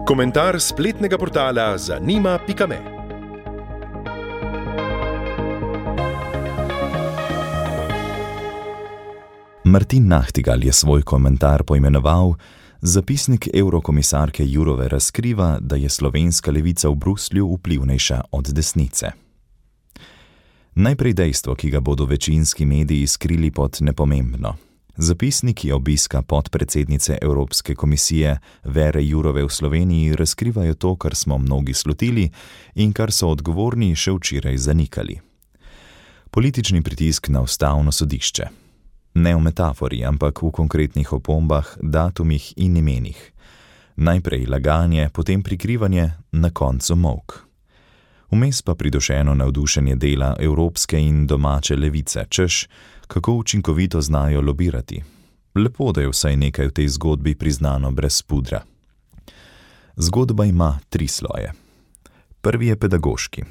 Komentar spletnega portala zanima.me. Martin Nachtigal je svoj komentar poimenoval: Zapisnik evrokomisarke Jourove razkriva, da je slovenska levica v Bruslju vplivnejša od desnice. Najprej dejstvo, ki ga bodo večinski mediji skrili pod nepomembno. Zapisniki obiska podpredsednice Evropske komisije Vere Jourove v Sloveniji razkrivajo to, kar smo mnogi slutili in kar so odgovorni še včeraj zanikali. Politični pritisk na ustavno sodišče. Ne v metafori, ampak v konkretnih opombah, datumih in imenih. Najprej laganje, potem prikrivanje, na koncu molk. Vmes pa pridušeno navdušenje dela evropske in domače levice, češ, kako učinkovito znajo lobirati. Lepo, da je vsaj nekaj v tej zgodbi priznano brez pudra. Zgodba ima 3 sloje. Prvi je pedagoški.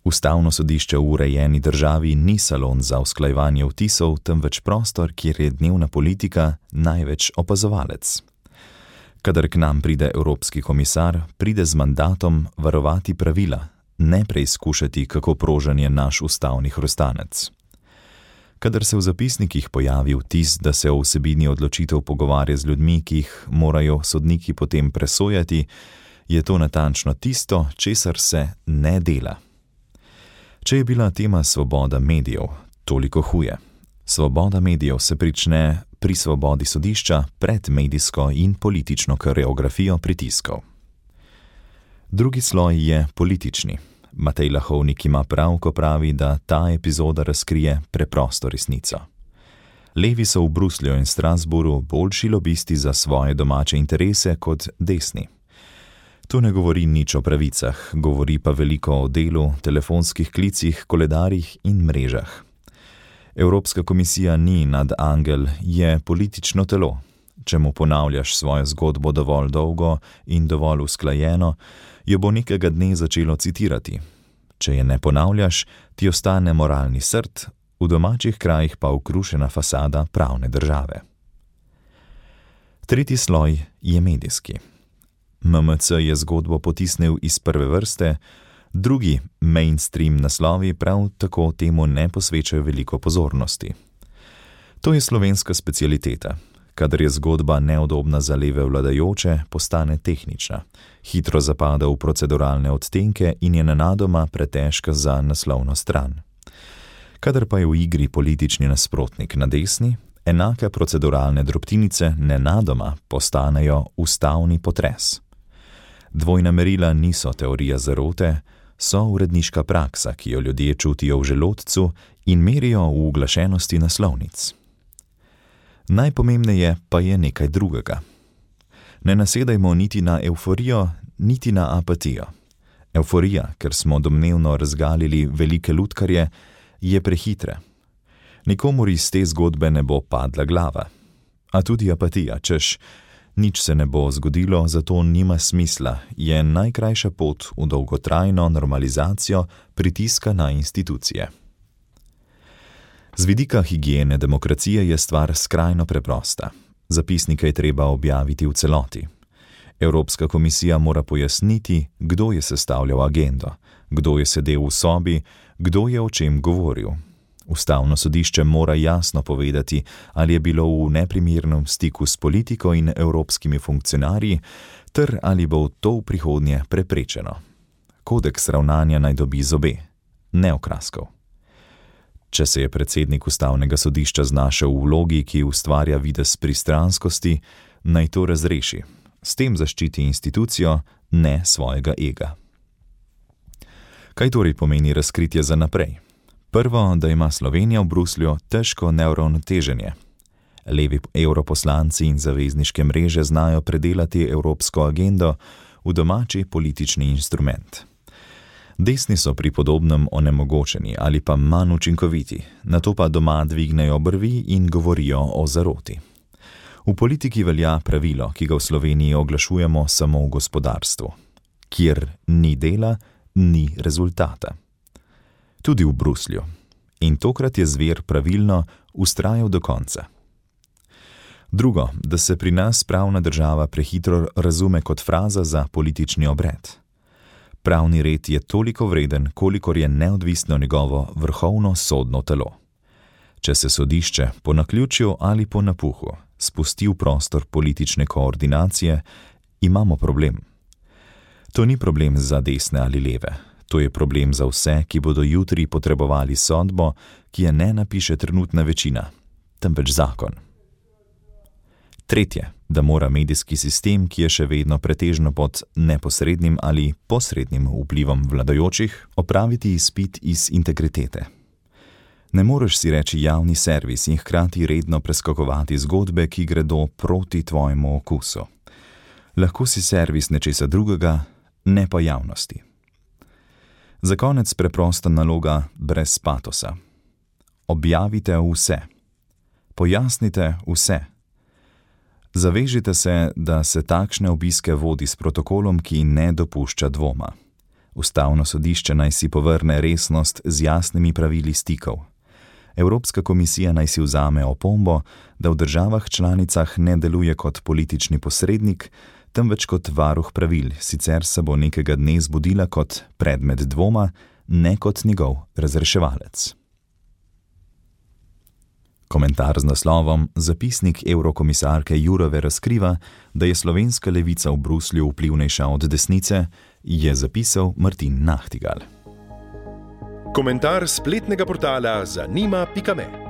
Ustavno sodišče v urejeni državi ni salon za usklajevanje vtisov, temveč prostor, kjer je dnevna politika največ opazovalec. Kadar k nam pride evropski komisar, pride z mandatom varovati pravila, ne preizkušati, kako prožen je naš ustavni hrustanec. Kadar se v zapisnikih pojavi vtis, da se o vsebini odločitev pogovarja z ljudmi, ki jih morajo sodniki potem presojati, je to natančno tisto, česar se ne dela. Če je bila tema svoboda medijev, toliko huje. Svoboda medijev se prične pri svobodi sodišča pred medijsko in politično koreografijo pritiskov. Drugi sloj je politični. Matej Lahovnik ima prav, ko pravi, da ta epizoda razkrije preprosto resnico. Levi so v Bruslju in Strasbourgu boljši lobisti za svoje domače interese kot desni. To ne govori nič o pravicah, govori pa veliko o delu, telefonskih klicih, koledarjih in mrežah. Evropska komisija ni nadangel, je politično telo. Če mu ponavljaš svojo zgodbo dovolj dolgo in dovolj usklajeno, jo bo nekega dne začelo citirati. Če je ne ponavljaš, ti ostane moralni srd, v domačih krajih pa ukrušena fasada pravne države. Tretji sloj je medijski. MMC je zgodbo potisnil iz prve vrste, drugi mainstream naslovi prav tako temu ne posvečajo veliko pozornosti. To je slovenska specialiteta. Kadar je zgodba neudobna za leve vladajoče, postane tehnična, hitro zapada v proceduralne odtenke in je nenadoma pretežka za naslovno stran. Kadar pa je v igri politični nasprotnik na desni, enake proceduralne drobtinice nenadoma postanejo ustavni potres. Dvojna merila niso teorija zarote, so uredniška praksa, ki jo ljudje čutijo v želodcu in merijo v uglašenosti naslovnic. Najpomembneje pa je nekaj drugega. Ne nasedajmo niti na evforijo, niti na apatijo. Evforija, ker smo domnevno razgalili velike lutkarje, je prehitra. Nikomur iz te zgodbe ne bo padla glava. A tudi apatija, češ, nič se ne bo zgodilo, zato nima smisla, je najkrajša pot v dolgotrajno normalizacijo pritiska na institucije. Z vidika higiene demokracije je stvar skrajno preprosta. Zapisnike je treba objaviti v celoti. Evropska komisija mora pojasniti, kdo je sestavljal agendo, kdo je sedel v sobi, kdo je o čem govoril. Ustavno sodišče mora jasno povedati, ali je bilo v neprimernem stiku s politiko in evropskimi funkcionarji, ter ali bo to v prihodnje preprečeno. Kodeks ravnanja naj dobi zobe, ne okraskov. Če se je predsednik ustavnega sodišča znašel v vlogi, ki ustvarja videz pristranskosti, naj to razreši. S tem zaščiti institucijo, ne svojega ega. Kaj torej pomeni razkritje za naprej? Prvo, da ima Slovenija v Bruslju težko neuravnoteženje. Levi evroposlanci in zavezniške mreže znajo predelati evropsko agendo v domači politični instrument. Desni so pri podobnem onemogočeni ali pa manj učinkoviti, nato pa doma dvignejo brvi in govorijo o zaroti. V politiki velja pravilo, ki ga v Sloveniji oglašujemo samo v gospodarstvu. Kjer ni dela, ni rezultata. Tudi v Bruslju. In tokrat je zver pravilno vztrajal do konca. Drugo, da se pri nas pravna država prehitro razume kot fraza za politični obred. Pravni red je toliko vreden, kolikor je neodvisno njegovo vrhovno sodno telo. Če se sodišče po naključju ali po napuhu spusti v prostor politične koordinacije, imamo problem. To ni problem za desne ali leve. To je problem za vse, ki bodo jutri potrebovali sodbo, ki je ne napiše trenutna večina, temveč zakon. Tretje, da mora medijski sistem, ki je še vedno pretežno pod neposrednim ali posrednim vplivom vladajočih, opraviti izpit iz integritete. Ne moreš si reči javni servis in hkrati redno preskakovati zgodbe, ki gredo proti tvojemu okusu. Lahko si servis nečesa drugega, ne pa javnosti. Za konec preprosta naloga brez patosa. Objavite vse. Pojasnite vse. Zavežite se, da se takšne obiske vodi s protokolom, ki ne dopušča dvoma. Ustavno sodišče naj si povrne resnost z jasnimi pravili stikov. Evropska komisija naj si vzame opombo, da v državah članicah ne deluje kot politični posrednik, temveč kot varuh pravil, sicer se bo nekega dne zbudila kot predmet dvoma, ne kot njegov razreševalec. Komentar z naslovom Zapisnik evrokomisarke Jourove razkriva, da je slovenska levica v Bruslju vplivnejša od desnice, je zapisal Martin Nahtigal. Komentar spletnega portala zanima.me